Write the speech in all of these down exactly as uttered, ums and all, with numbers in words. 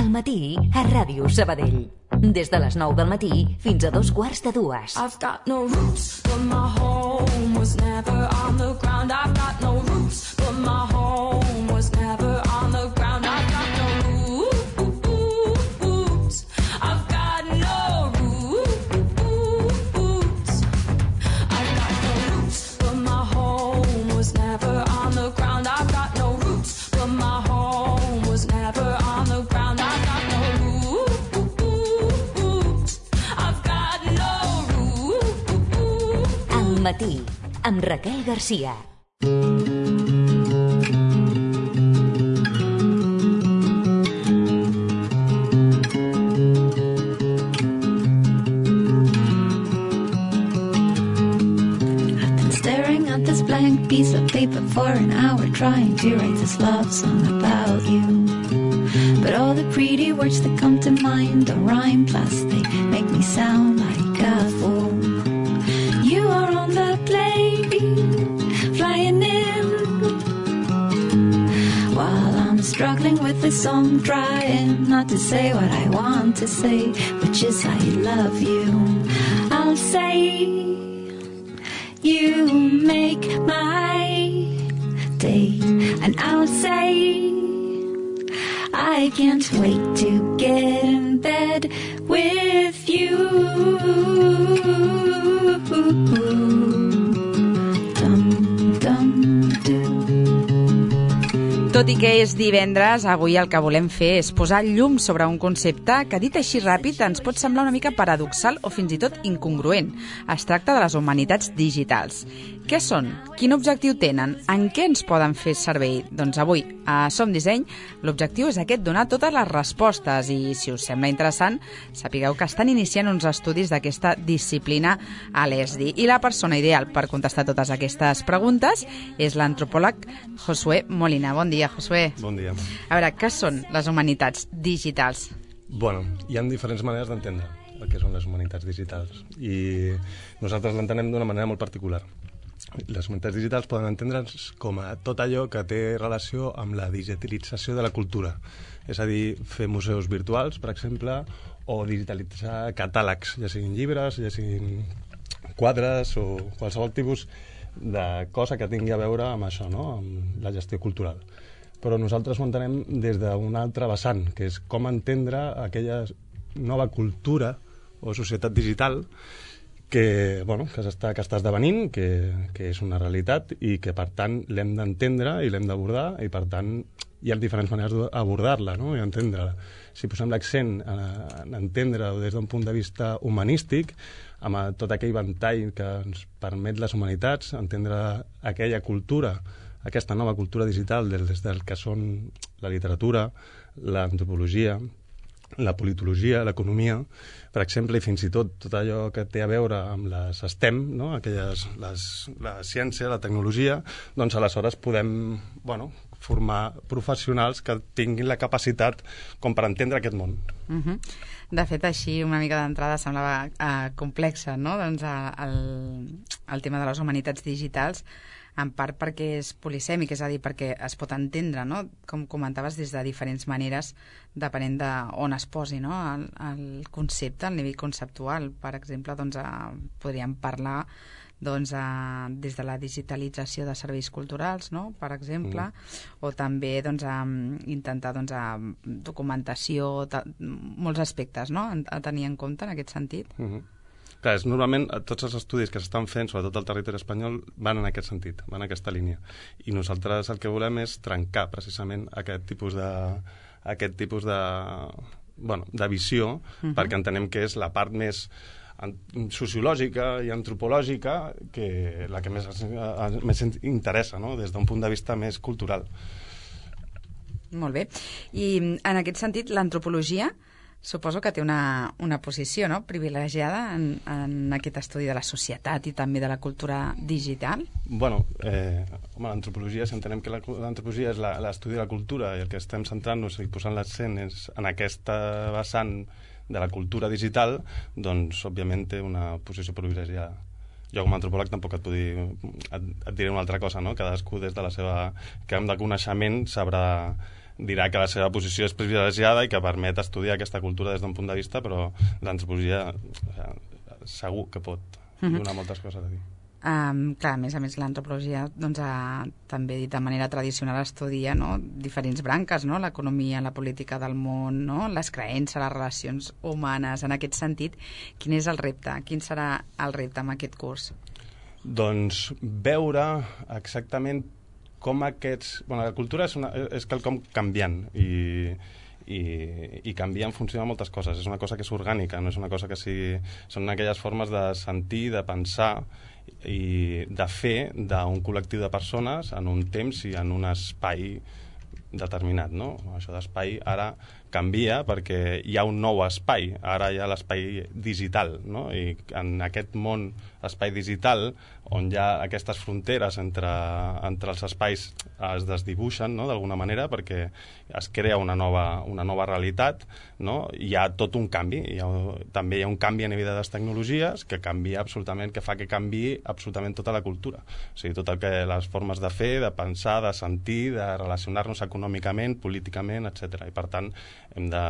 Al matí, a Ràdio Sabadell. Des de les nou del matí fins a dos quarts de dues. I've got no roots, but my home was never on the ground. I've got no roots, but my home was never on the ground. I've got no roots. I've got no roots. I've got no roots, but my home was never on the ground. I've got no roots, but my home was never on the ground. I've got no roots. I've got no roots. Al matí, amb Raquel Garcia. Blank piece of paper for an hour, trying to write this love song about you. But all the pretty words that come to mind don't rhyme, plus they make me sound like a fool. You are on the plane, flying in, while I'm struggling with this song, trying not to say what I want to say, which is I love you. I'll say you make my day, and I'll say I can't wait to get in bed with you. Dum, dum, dum. Tot i que és divendres, avui el que volem fer és posar llum sobre un concepte que, dit així ràpid, ens pot semblar una mica paradoxal o fins i tot incongruent. Es tracta de les humanitats digitals. Què són? Quin objectiu tenen? En què ens poden fer servei? Doncs avui, a Som Disseny, l'objectiu és aquest, donar totes les respostes i, si us sembla interessant, sapigueu que estan iniciant uns estudis d'aquesta disciplina a l'E S D I. I la persona ideal per contestar totes aquestes preguntes és l'antropòleg Josué Molina. Bon dia, Josué. Bon dia. A veure, què són les humanitats digitals? Bueno, hi ha diferents maneres d'entendre el que són les humanitats digitals i nosaltres l'entenem d'una manera molt particular. Les humanitats digitals poden entendre's com a tot allò que té relació amb la digitalització de la cultura. És a dir, fer museus virtuals, per exemple, o digitalitzar catàlegs, ja siguin llibres, ja siguin quadres o qualsevol tipus de cosa que tingui a veure amb això, no? Amb la gestió cultural. Però nosaltres ho entenem des d'un altre vessant, que és com entendre aquella nova cultura o societat digital que, bueno, que, està, que està esdevenint, que, que és una realitat i que, per tant, l'hem d'entendre i l'hem d'abordar i, per tant, hi ha diferents maneres d'abordar-la, no? I entendre-la. Si posem l'accent en entendre-ho des d'un punt de vista humanístic, amb tot aquell ventall que ens permet les humanitats, entendre aquella cultura, aquesta nova cultura digital des del que són la literatura, l'antropologia, la politologia, l'economia, per exemple, i fins i tot tot allò que té a veure amb les STEM, no? Aquelles, les, la ciència, la tecnologia, doncs aleshores podem, bueno, formar professionals que tinguin la capacitat com per entendre aquest món. Uh-huh. De fet, així, una mica d'entrada semblava uh, complexa, no? Doncs el, el tema de les humanitats digitals, en part perquè és polisèmic, és a dir, perquè es pot entendre, no? Com comentaves, des de diferents maneres, depenent d'on es posi, no? el, el concepte, el nivell conceptual. Per exemple, doncs, eh, podríem parlar doncs, eh, des de la digitalització de serveis culturals, no? Per exemple, mm. o també doncs, eh, intentar doncs, eh, documentació, ta, molts aspectes, no? A tenir en compte en aquest sentit. Mm-hmm. Clar, és, normalment tots els estudis que s'estan fent, sobretot al territori espanyol, van en aquest sentit, van en aquesta línia. I nosaltres el que volem és trencar precisament aquest tipus de, aquest tipus de, bueno, de visió, uh-huh. perquè entenem que és la part més sociològica i antropològica que la que més, més interessa, no? Des d'un punt de vista més cultural. Molt bé. I en aquest sentit, l'antropologia suposo que té una, una posició, no?, privilegiada en, en aquest estudi de la societat i també de la cultura digital. Bueno, eh, home, l'antropologia, si entenem que l'antropologia és l'estudi de la cultura i el que estem centrant-nos i posant l'accent és en aquesta vessant de la cultura digital, doncs, òbviament, té una posició privilegiada. Jo, com a antropòleg, tampoc et, dir, et, et diré una altra cosa, no? Cadascú, des de la seva camp de coneixement, sabrà dirà que la seva posició és privilegiada i que permet estudiar aquesta cultura des d'un punt de vista, però l'antropologia o sigui, segur que pot donar moltes coses a dir. Um, clar, a més a més l'antropologia doncs, ha, també dit de manera tradicional estudia, no?, diferents branques, no?, l'economia, la política del món, no?, les creences, les relacions humanes. En aquest sentit, quin és el repte? Quin serà el repte amb aquest curs? Doncs veure exactament com aquests... Bueno, la cultura és, una, és quelcom canviant i, i, i canvia en funció de moltes coses. És una cosa que és orgànica, no és una cosa que sigui... Són aquelles formes de sentir, de pensar i de fer d'un col·lectiu de persones en un temps i en un espai determinat, no? Això d'espai ara canvia perquè hi ha un nou espai, ara hi ha l'espai digital, no? I en aquest món espai digital, on hi ha aquestes fronteres entre, entre els espais es desdibuixen, no?, d'alguna manera, perquè es crea una nova, una nova realitat, no? Hi ha tot un canvi, hi ha, també hi ha un canvi a nivell de les tecnologies que canvia absolutament, que fa que canvi absolutament tota la cultura. O sigui, tot el que les formes de fer, de pensar, de sentir, de relacionar-nos econòmicament, políticament, etcètera. I per tant, hem de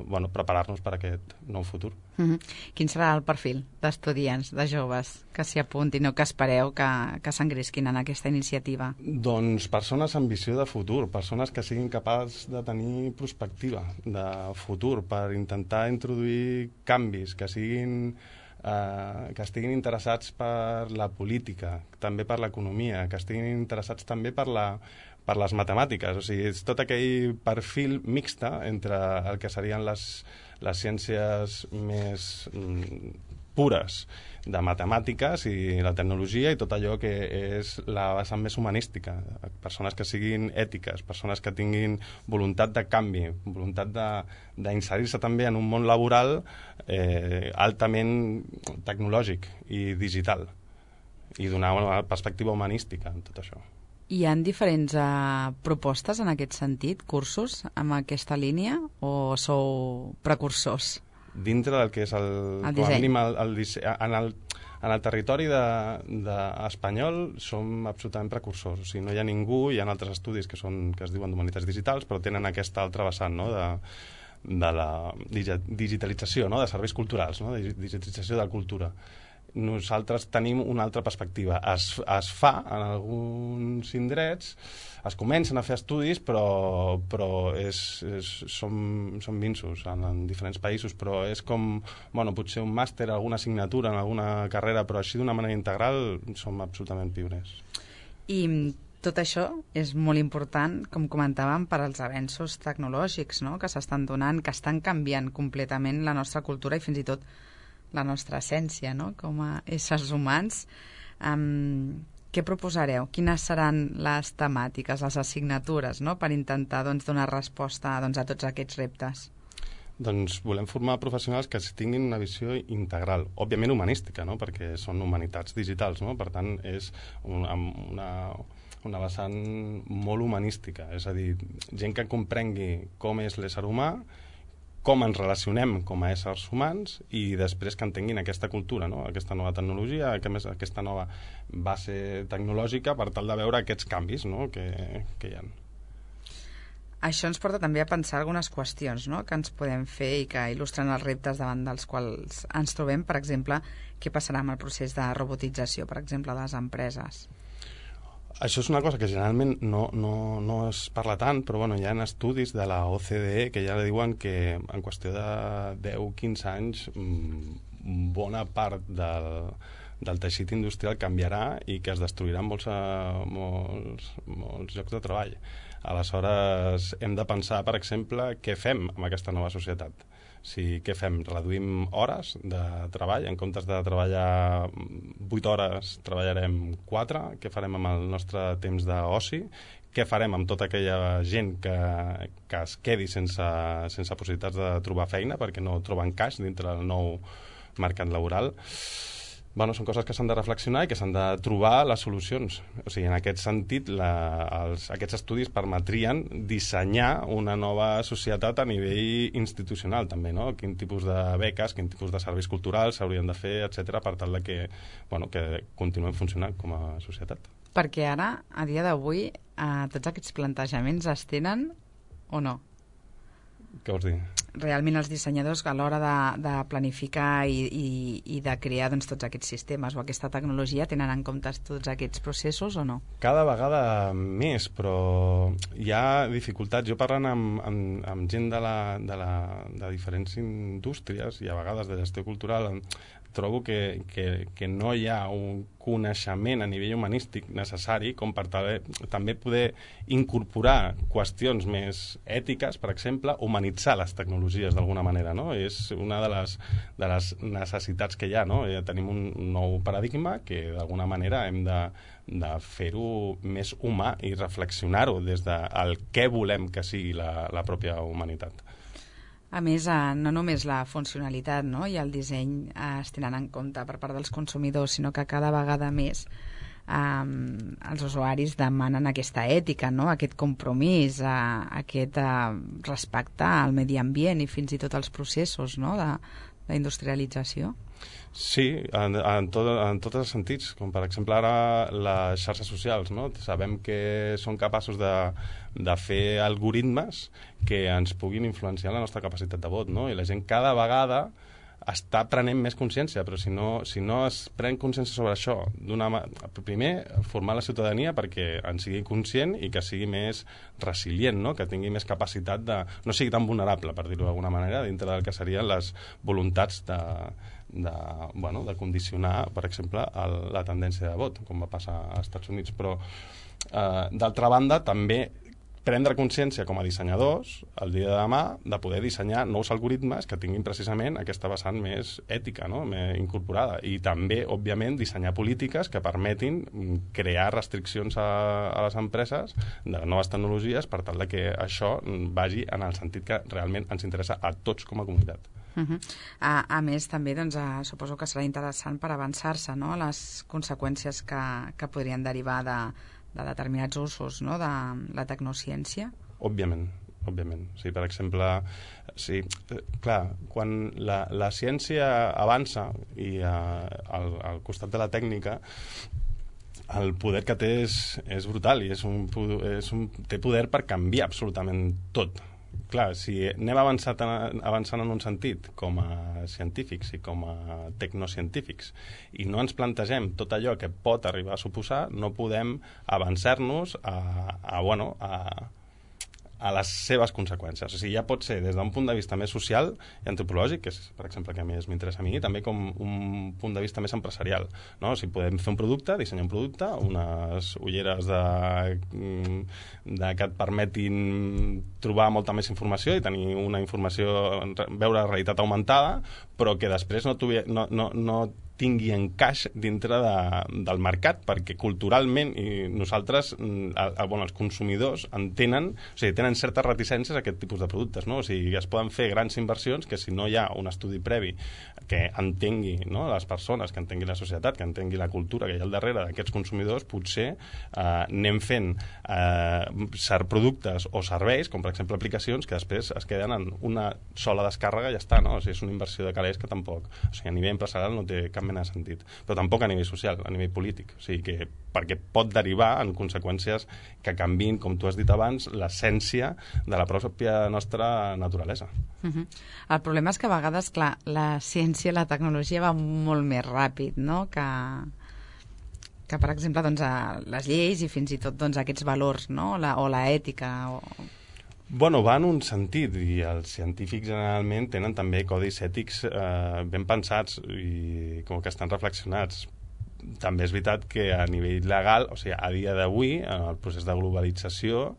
bueno, preparar-nos per a aquest nou futur. Mm-hmm. Quin serà el perfil d'estudiants, de joves, que s'hi apuntin o que espereu que, que s'engresquin en aquesta iniciativa? Doncs persones amb visió de futur, persones que siguin capaços de tenir perspectiva de futur per intentar introduir canvis, que siguin eh, que estiguin interessats per la política, també per l'economia, que estiguin interessats també per la per les matemàtiques, o sigui, és tot aquell perfil mixta entre el que serien les, les ciències més mm, pures de matemàtiques i la tecnologia i tot allò que és la vessant més humanística, persones que siguin ètiques, persones que tinguin voluntat de canvi, voluntat d'inserir-se també en un món laboral eh, altament tecnològic i digital i donar una perspectiva humanística en tot això. Hi ha diferents uh, propostes en aquest sentit, cursos amb aquesta línia, o sou precursors? Dintre del que és el, el com a disseny. mínim el, el disseny, en, el, en el territori de, de espanyol som absolutament precursors, o sigui, no hi ha ningú, hi ha altres estudis que, són, que es diuen d'humanitats digitals, però tenen aquesta altra vessant, no?, de, de la digitalització, no?, de serveis culturals, no?, de digitalització de la cultura. Nosaltres tenim una altra perspectiva. Es, es fa en alguns indrets, es comencen a fer estudis, però, però és, és, som, som minsos en, en diferents països, però és com, bueno, potser un màster, alguna assignatura en alguna carrera, però així d'una manera integral som absolutament pioners. I tot això és molt important, com comentàvem, per als avenços tecnològics, no?, que s'estan donant, que estan canviant completament la nostra cultura i fins i tot la nostra essència, no?, com a éssers humans. Um, què proposareu? Quines seran les temàtiques, les assignatures, no?, per intentar doncs, donar resposta doncs, a tots aquests reptes? Doncs volem formar professionals que tinguin una visió integral, òbviament humanística, no?, perquè són humanitats digitals, no?, per tant és una, una, una vessant molt humanística, és a dir, gent que comprengui com és l'ésser humà, com ens relacionem com a éssers humans i després que entenguin aquesta cultura, no?, aquesta nova tecnologia, aquesta nova base tecnològica per tal de veure aquests canvis, no?, que, que hi ha. Això ens porta també a pensar algunes qüestions, no?, que ens podem fer i que il·lustren els reptes davant dels quals ens trobem. Per exemple, què passarà amb el procés de robotització, per exemple, de les empreses? Això és una cosa que generalment no, no, no es parla tant, però bueno, hi ha estudis de la O C D E que ja diuen que en qüestió de deu a quinze anys bona part del, del teixit industrial canviarà i que es destruiran molts, molts, molts llocs de treball. Aleshores, hem de pensar, per exemple, què fem amb aquesta nova societat. Si, què fem? Reduïm hores de treball, en comptes de treballar vuit hores treballarem quatre, què farem amb el nostre temps d'oci, què farem amb tota aquella gent que, que es quedi sense, sense possibilitats de trobar feina perquè no troba encaix dintre del nou mercat laboral. Bueno, són coses que s'han de reflexionar i que s'han de trobar les solucions. O sigui, en aquest sentit, la, els, aquests estudis permetrien dissenyar una nova societat a nivell institucional, també, no? Quin tipus de beques, quin tipus de serveis culturals s'haurien de fer, etcètera, per tal de que, bueno, que continuem funcionant com a societat. Perquè ara, a dia d'avui, eh, tots aquests plantejaments es tenen o no? Què vols dir? Realment els dissenyadors a l'hora de, de planificar i, i, i de crear doncs, tots aquests sistemes o aquesta tecnologia tenen en compte tots aquests processos o no? Cada vegada més, però hi ha dificultats. Jo parlant amb, amb, amb gent de, la, de, la, de diferents indústries i a vegades de gestió cultural trobo que, que, que no hi ha un coneixement a nivell humanístic necessari com per tal, també poder incorporar qüestions més ètiques, per exemple, humanitzar les tecnologies d'alguna manera, no? És una de les, de les necessitats que hi ha, no? Ja tenim un nou paradigma que d'alguna manera hem de, de fer-ho més humà i reflexionar-ho des del què volem que sigui la, la pròpia humanitat. A més, eh, no només la funcionalitat, no?, i el disseny eh, es tenen en compte per part dels consumidors, sinó que cada vegada més eh, els usuaris demanen aquesta ètica, no?, aquest compromís, eh, aquest eh, respecte al medi ambient i fins i tot als processos, no?, de, d'industrialització. Sí, en, en, tot, en tots els sentits, com per exemple ara les xarxes socials, no? Sabem que són capaços de, de fer algoritmes que ens puguin influenciar la nostra capacitat de vot, no? I la gent cada vegada està prenent més consciència, però si no, si no es pren consciència sobre això, d'una, primer, formar la ciutadania perquè en sigui conscient i que sigui més resilient, no? Que tingui més capacitat de... no sigui tan vulnerable, per dir-ho d'alguna manera, dintre del que serien les voluntats de, de, bueno, de condicionar, per exemple, el, la tendència de vot, com va passar als Estats Units. Però, eh, d'altra banda, també prendre consciència com a dissenyadors el dia de demà de poder dissenyar nous algoritmes que tinguin precisament aquesta vessant més ètica, no?, més incorporada, i també, òbviament, dissenyar polítiques que permetin crear restriccions a, a les empreses de noves tecnologies per tal de que això vagi en el sentit que realment ens interessa a tots com a comunitat. Uh -huh. a, a més, també doncs, a, suposo que serà interessant per avançar-se, no?, les conseqüències que, que podrien derivar de de determinats usos, no?, de la tecnociència? Òbviament, òbviament. Sí, per exemple, sí, clar, quan la, la ciència avança i eh, al, al costat de la tècnica el poder que té és, és brutal i és un, és un, té poder per canviar absolutament tot. Clar, si anem avançant, avançant en un sentit com a científics i com a tecnocientífics i no ens plantegem tot allò que pot arribar a suposar, no podem avançar-nos a, a, bueno, a, a les seves conseqüències. O sigui, ja pot ser des d'un punt de vista més social i antropològic, que és, per exemple, que a més m'interessa a mi, també com un punt de vista més empresarial, no? O sigui, podem fer un producte, dissenyar un producte, unes ulleres de, de que et permetin trobar molta més informació i tenir una informació, veure la realitat augmentada, però que després no, tuvi, no, no, no tingui encaix dintre de, del mercat, perquè culturalment i nosaltres, el, el, bueno, els consumidors entenen, o sigui, tenen certes reticències a aquest tipus de productes, no? O sigui, es poden fer grans inversions que si no hi ha un estudi previ que entengui, no?, les persones, que entengui la societat, que entengui la cultura que hi ha al darrere d'aquests consumidors, potser eh, anem fent eh, productes o serveis, com per exemple aplicacions, que després es queden en una sola descàrrega i ja està, no? O sigui, és una inversió de calés que tampoc, o sigui, a nivell empresarial no té cap mena de sentit, però tampoc a nivell social, a nivell polític, o sigui que perquè pot derivar en conseqüències que canviïn, com tu has dit abans, l'essència de la pròpia nostra naturalesa. Uh-huh. El problema és que a vegades, clar, la ciència, la tecnologia va molt més ràpid, no?, que, que per exemple, doncs, a les lleis i fins i tot doncs, aquests valors, no?, la, o la ètica, o... Bueno, va en un sentit, i els científics generalment tenen també codis ètics eh, ben pensats i com que estan reflexionats. També és veritat que a nivell legal, o sigui, a dia d'avui, en el procés de globalització,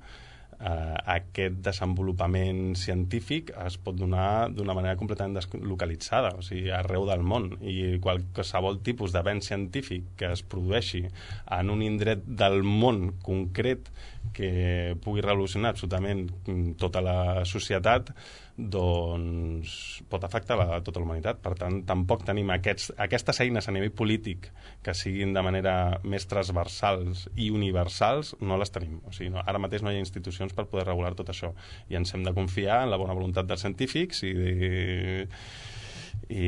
eh, aquest desenvolupament científic es pot donar d'una manera completament deslocalitzada, o sigui, arreu del món, i qualsevol tipus d'avenç científic que es produeixi en un indret del món concret que pugui revolucionar absolutament tota la societat, doncs pot afectar la, tota la humanitat. Per tant, tampoc tenim aquests, aquestes eines a nivell polític que siguin de manera més transversals i universals, no les tenim. O sigui, no, ara mateix no hi ha institucions per poder regular tot això i ens hem de confiar en la bona voluntat dels científics i de, i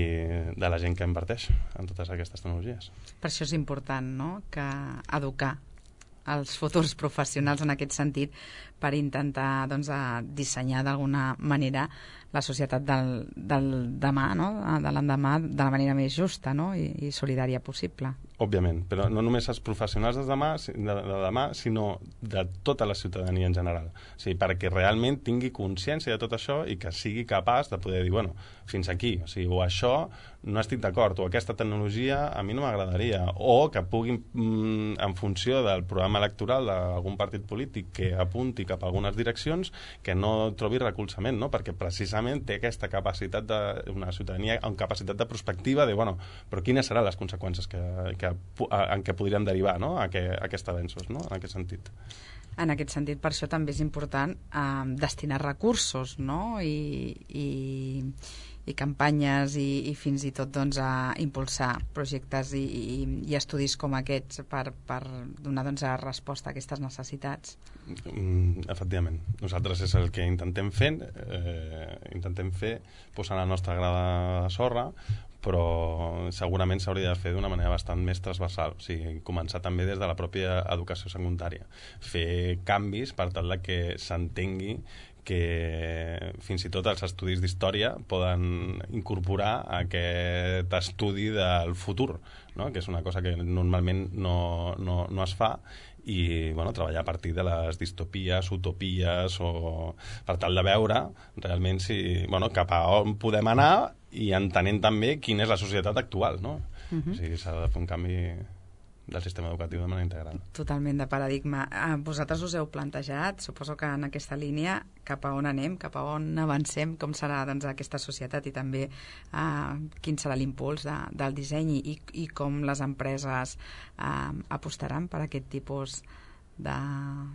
de la gent que inverteix en totes aquestes tecnologies. Per això és important, no?, que educar els futurs professionals en aquest sentit per intentar doncs, a dissenyar d'alguna manera la societat del, del demà, no? De l'endemà, de la manera més justa, no? I, i solidària possible. Òbviament, però no només els professionals de demà, de, de demà, sinó de tota la ciutadania en general. O sigui, perquè realment tingui consciència de tot això i que sigui capaç de poder dir, bueno, fins aquí, o sigui, o això no estic d'acord, o aquesta tecnologia a mi no m'agradaria, o que puguin, mm, en funció del programa electoral d'algun partit polític que apunti cap a algunes direccions, que no trobi recolzament, no? Perquè precisament té aquesta capacitat de, una ciutadania amb capacitat de prospectiva de, bueno, però quines seran les conseqüències que, que, en què podríem derivar, no? A, que, a aquests avenços, no? En aquest sentit. En aquest sentit, per això també és important eh, destinar recursos, no? I, i, i campanyes i, i fins i tot doncs, a impulsar projectes i, i, i estudis com aquests per, per donar doncs, resposta a aquestes necessitats. Mm, efectivament. Nosaltres és el que intentem fer, eh, intentem fer posant la nostra grada de sorra, però segurament s'hauria de fer d'una manera bastant més transversal, o sigui, començar també des de la pròpia educació secundària, fer canvis per tal de que s'entengui que fins i tot els estudis d'història poden incorporar aquest estudi del futur, no? Que és una cosa que normalment no, no, no es fa, i bueno, treballar a partir de les distopies, utopies, o per tal de veure realment si, bueno, cap a on podem anar i entenent també quina és la societat actual, no? Uh-huh. O sigui, s'ha de fer un canvi del sistema educatiu de manera integral. Totalment de paradigma. Eh, vosaltres us heu plantejat, suposo que en aquesta línia, cap a on anem, cap a on avancem, com serà doncs, aquesta societat i també eh, quin serà l'impuls de, del disseny i, i com les empreses eh, apostaran per aquest tipus de,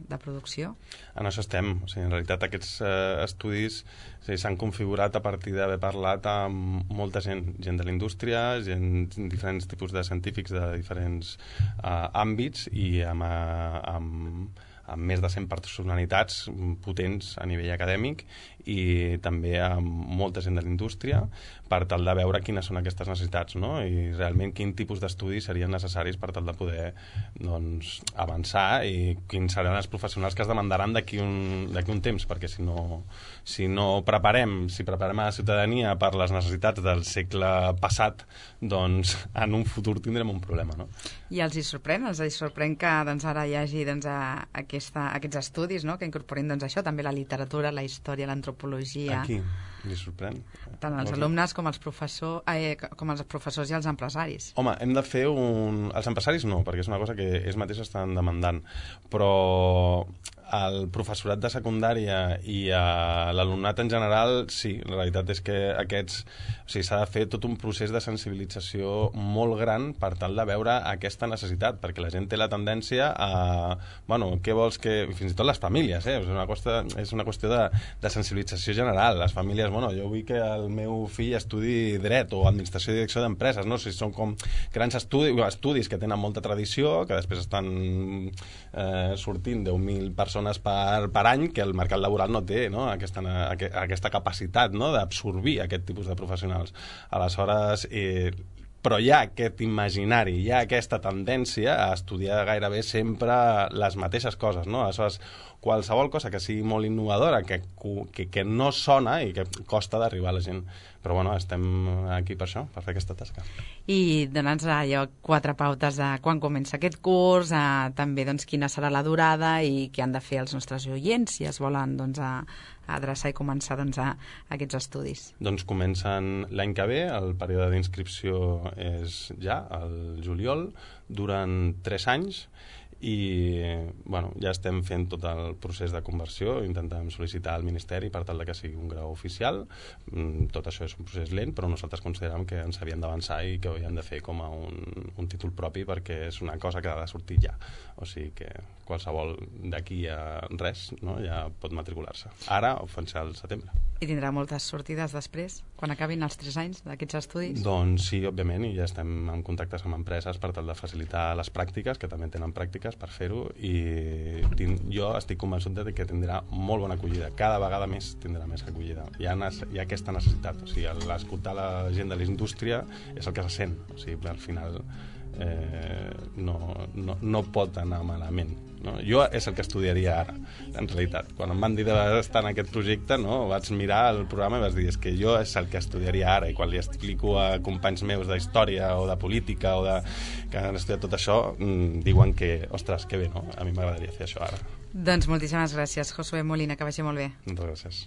de producció? En això estem. O sigui, en realitat aquests eh, estudis o sigui, s'han configurat a partir d'haver parlat amb molta gent, gent de la indústria, gent, diferents tipus de científics de diferents eh, àmbits i amb, eh, amb, amb més de cent personalitats potents a nivell acadèmic i també amb molta gent de la indústria per tal de veure quines són aquestes necessitats, no? I realment quin tipus d'estudis serien necessaris per tal de poder doncs, avançar i quins seran els professionals que es demandaran d'aquí un, d'aquí un temps, perquè si no, si no preparem, si preparem a la ciutadania per les necessitats del segle passat, doncs en un futur tindrem un problema, no? I els hi sorprèn, els hi sorprèn que doncs, ara hi hagi doncs, a, aquesta, aquests estudis, no? Que incorporin doncs, això, també la literatura, la història, l'antropologia. Aquí, li sorprèn. Tant els alumnes com els, professor, eh, com els professors i els empresaris. Home, hem de fer un... Els empresaris no, perquè és una cosa que ells mateixos estan demandant, però el professorat de secundària i l'alumnat en general, sí, la realitat és que aquests... O sigui, s'ha de fer tot un procés de sensibilització molt gran per tal de veure aquesta necessitat, perquè la gent té la tendència a... Bueno, què vols que... Fins i tot les famílies, eh? És una qüestió, és una qüestió de, de sensibilització general. Les famílies, bueno, jo vull que el meu fill estudi dret o administració i direcció d'empreses, no? O sigui, són com grans estudis, estudis que tenen molta tradició, que després estan eh, sortint deu mil persones per, per any, que el mercat laboral no té, no? Aquesta, aquesta capacitat, no? D'absorbir aquest tipus de professionals. Aleshores, eh, però hi ha aquest imaginari, hi ha aquesta tendència a estudiar gairebé sempre les mateixes coses, no? Aleshores, qualsevol cosa que sigui molt innovadora, que, que, que no sona i que costa d'arribar a la gent. Però bueno, estem aquí per això, per fer aquesta tasca. I dona'ns allò quatre pautes de quan comença aquest curs, eh, també doncs, quina serà la durada i què han de fer els nostres oients si es volen doncs, a, a adreçar i començar doncs, a, a aquests estudis. Doncs comencen l'any que ve, el període d'inscripció és ja, el juliol, duren tres anys, i bueno, ja estem fent tot el procés de conversió, intentem sol·licitar al Ministeri per tal de que sigui un grau oficial. Tot això és un procés lent, però nosaltres considerem que ens havíem d'avançar i que ho havíem de fer com a un, un títol propi, perquè és una cosa que ha de sortir ja, o sigui que qualsevol d'aquí a res, no? Ja pot matricular-se ara o fins al setembre. I tindrà moltes sortides després, quan acabin els tres anys d'aquests estudis? Doncs sí, òbviament, i ja estem en contactes amb empreses per tal de facilitar les pràctiques, que també tenen pràctiques per fer-ho, i tinc, jo estic convençut de que tindrà molt bona acollida. Cada vegada més tindrà més acollida. Hi ha, hi ha aquesta necessitat. O sigui, l'escoltar la gent de la indústria és el que se sent. O sigui, al final eh, no, no, no pot anar malament. no? Jo és el que estudiaria ara, en realitat. Quan em van dir d'estar en aquest projecte, no, vaig mirar el programa i vaig dir, és que jo és el que estudiaria ara, i quan li explico a companys meus d'història o de política o de... que han estudiat tot això, mmm, diuen que, ostres, que bé, no? A mi m'agradaria fer això ara. Doncs moltíssimes gràcies, Josué Molina, que vagi molt bé. Moltes gràcies.